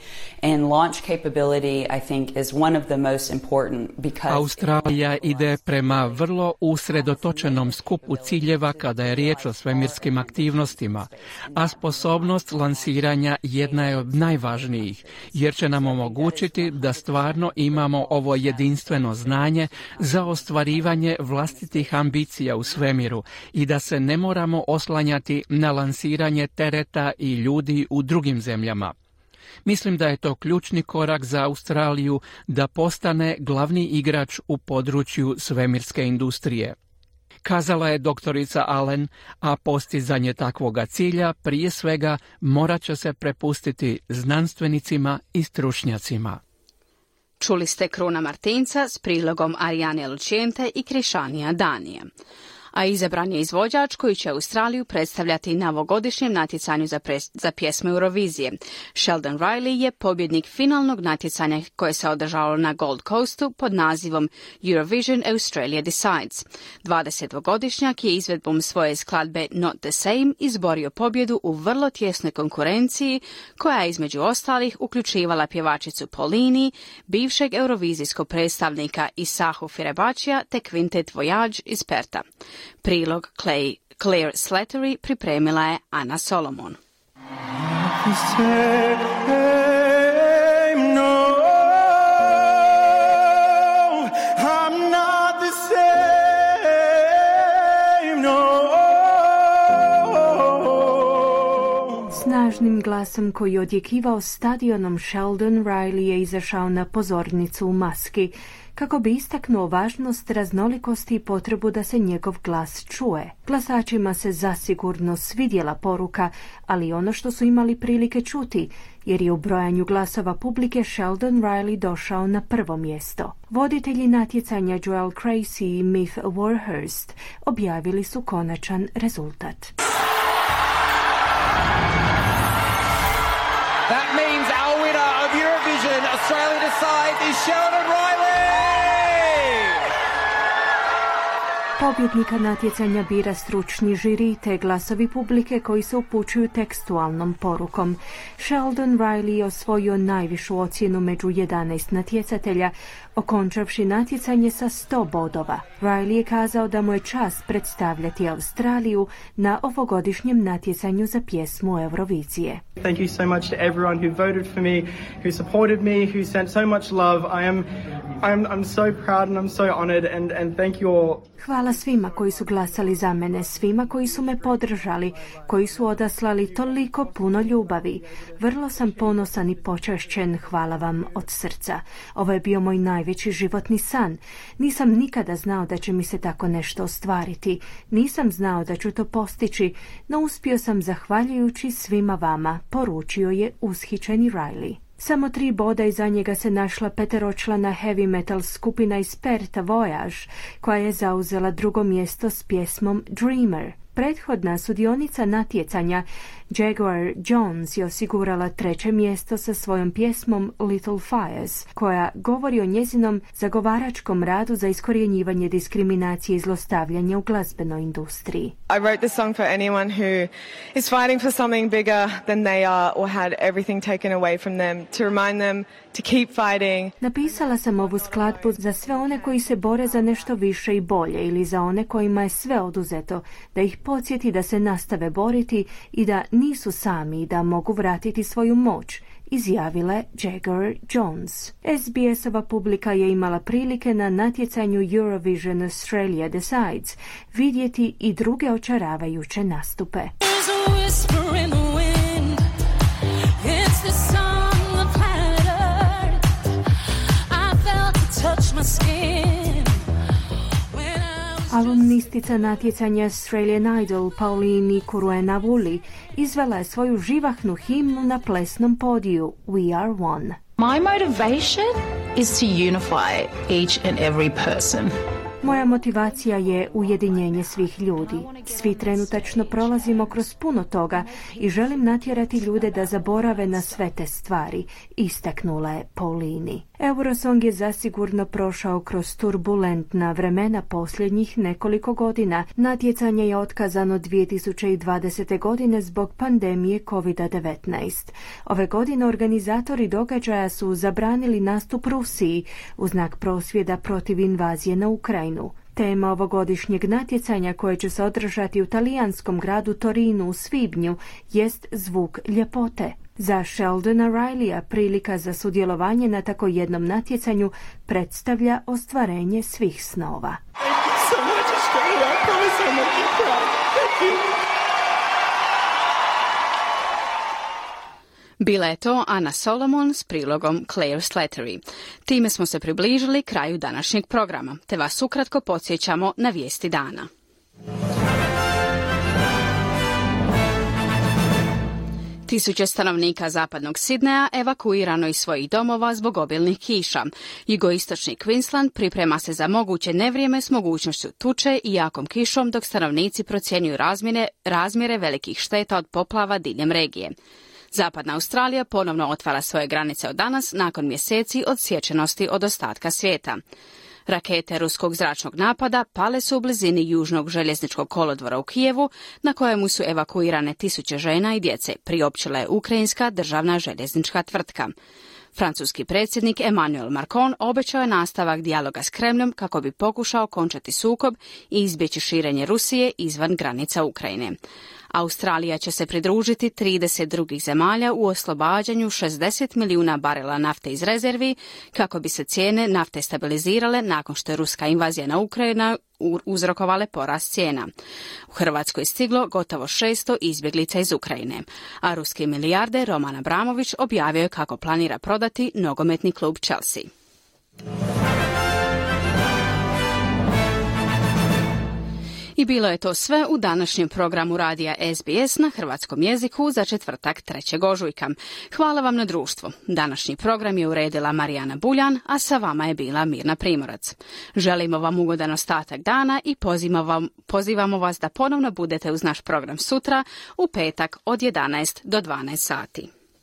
and launch capability I think is one of the most important because Australija ide prema vrlo usredotočenom skupu ciljeva kada je riječ o svemirskim aktivnostima, a sposobnost lansiranja jedna je od najvažnijih, jer će nam omogućiti da stvarno imamo ovo jedinstveno znanje za ostvarivanje vlastitih ambicija u svemiru i da se ne moramo oslanjati na lansiranje tereta i ljudi u drugim zemljama. Mislim da je to ključni korak za Australiju da postane glavni igrač u području svemirske industrije. Kazala je doktorica Allen, a postizanje takvoga cilja prije svega morat će se prepustiti znanstvenicima i stručnjacima. Čuli ste Kruna Martinca s prilogom Arijane Lučijente i Krišanija Danija. A izabran je izvođač koji će Australiju predstavljati na ovogodišnjem natjecanju za, pres, za pjesme Eurovizije. Sheldon Riley je pobjednik finalnog natjecanja koje se održalo na Gold Coastu pod nazivom Eurovision Australia Decides. dvadesetogodišnjak je izvedbom svoje skladbe Not the Same izborio pobjedu u vrlo tjesnoj konkurenciji koja je između ostalih uključivala pjevačicu Polini, bivšeg eurovizijskog predstavnika Isahu Firebačija te kvintet Voyage iz Perta. Prilog Clay, Claire Slattery pripremila je Ana Solomon. Snažnim glasom koji je odjekivao stadionom Sheldon Riley je izašao na pozornicu u maski, kako bi istaknuo važnost raznolikosti i potrebu da se njegov glas čuje. Glasačima se zasigurno svidjela poruka, ali ono što su imali prilike čuti, jer je u brojanju glasova publike Sheldon Riley došao na prvo mjesto. Voditelji natjecanja Joel Creasy i Myth Warhurst objavili su konačan rezultat. That means our winner of Eurovision Australia Decides is Sheldon Riley! Pobjednika natjecanja bira stručni žiri te glasovi publike koji se upućuju tekstualnom porukom. Sheldon Riley je osvojio najvišu ocjenu među jedanaest natjecatelja, okončavši natjecanje sa sto bodova. Riley je kazao da mu je čast predstavljati Australiju na ovogodišnjem natjecanju za pjesmu Eurovizije. Thank you so much to everyone who voted for me, who supported me, who sent so much love. I am I'm I'm so proud and I'm so honored and and thank you all. Hvala svima koji su glasali za mene, svima koji su me podržali, koji su odaslali toliko puno ljubavi. Vrlo sam ponosan i počašćen, hvala vam od srca. Ovo je bio moj najveći životni san. Nisam nikada znao da će mi se tako nešto ostvariti. Nisam znao da ću to postići, no uspio sam zahvaljujući svima vama, poručio je ushićeni Riley. Samo tri boda iza njega se našla peteročlana heavy metal skupina iz Perta Voyage, koja je zauzela drugo mjesto s pjesmom Dreamer. Prethodna sudionica natjecanja Jaguar Jones je osigurala treće mjesto sa svojom pjesmom Little Fires, koja govori o njezinom zagovaračkom radu za iskorjenjivanje diskriminacije i zlostavljanja u glazbenoj industriji. I wrote this song for anyone who is fighting for something bigger than they are or had everything taken away from them, to remind them to keep fighting. Napisala sam ovu skladbu za sve one koji se bore za nešto više i bolje ili za one kojima je sve oduzeto, da ih podsjeti da se nastave boriti i da nisu sami i da mogu vratiti svoju moć, izjavila je Jaguar Jones. S B S-ova publika je imala prilike na natjecanju Eurovision Australia Decides vidjeti i druge očaravajuće nastupe. Alumnistica natjecanja Australian Idol Pauline Kuruenavuli izvela je svoju živahnu himnu na plesnom podiju We Are One. My motivation is to unify each and every person. Moja motivacija je ujedinjenje svih ljudi. Svi trenutačno prolazimo kroz puno toga i želim natjerati ljude da zaborave na sve te stvari, istaknula je Paulini. Eurosong je zasigurno prošao kroz turbulentna vremena posljednjih nekoliko godina. Natjecanje je otkazano dvije tisuće dvadesete. godine zbog pandemije kovid devetnaest. Ove godine organizatori događaja su zabranili nastup Rusiji u znak prosvjeda protiv invazije na Ukrajinu. Tema ovogodišnjeg natjecanja, koje će se održati u talijanskom gradu Torinu u svibnju, jest zvuk ljepote. Za Sheldona Rileya prilika za sudjelovanje na tako jednom natjecanju predstavlja ostvarenje svih snova. Bila je to Ana Solomon s prilogom Claire Slattery. Time smo se približili kraju današnjeg programa, te vas ukratko podsjećamo na vijesti dana. Tisuće stanovnika zapadnog Sidneja evakuirano iz svojih domova zbog obilnih kiša. Jugoistočni Queensland priprema se za moguće nevrijeme s mogućnošću tuče i jakom kišom, dok stanovnici procjenjuju razmjere, razmjere velikih šteta od poplava diljem regije. Zapadna Australija ponovno otvara svoje granice od danas nakon mjeseci odsječenosti od ostatka svijeta. Rakete ruskog zračnog napada pale su u blizini južnog željezničkog kolodvora u Kijevu, na kojemu su evakuirane tisuće žena i djece, priopćila je ukrajinska državna željeznička tvrtka. Francuski predsjednik Emmanuel Macron obećao je nastavak dijaloga s Kremljom kako bi pokušao okončati sukob i izbjeći širenje Rusije izvan granica Ukrajine. Australija će se pridružiti trideset drugih zemalja u oslobađanju šezdeset milijuna barela nafte iz rezervi kako bi se cijene nafte stabilizirale nakon što je ruska invazija na Ukrajinu uzrokovale porast cijena. U Hrvatskoj je stiglo gotovo šesto izbjeglica iz Ukrajine, a ruski milijarder Roman Abramović objavio je kako planira prodati nogometni klub Chelsea. I bilo je to sve u današnjem programu radija S B S na hrvatskom jeziku za četvrtak trećeg ožujka. Hvala vam na društvu. Današnji program je uredila Marijana Buljan, a sa vama je bila Mirna Primorac. Želimo vam ugodan ostatak dana i pozivamo, vam, pozivamo vas da ponovno budete uz naš program sutra u petak od jedanaest do dvanaest sati.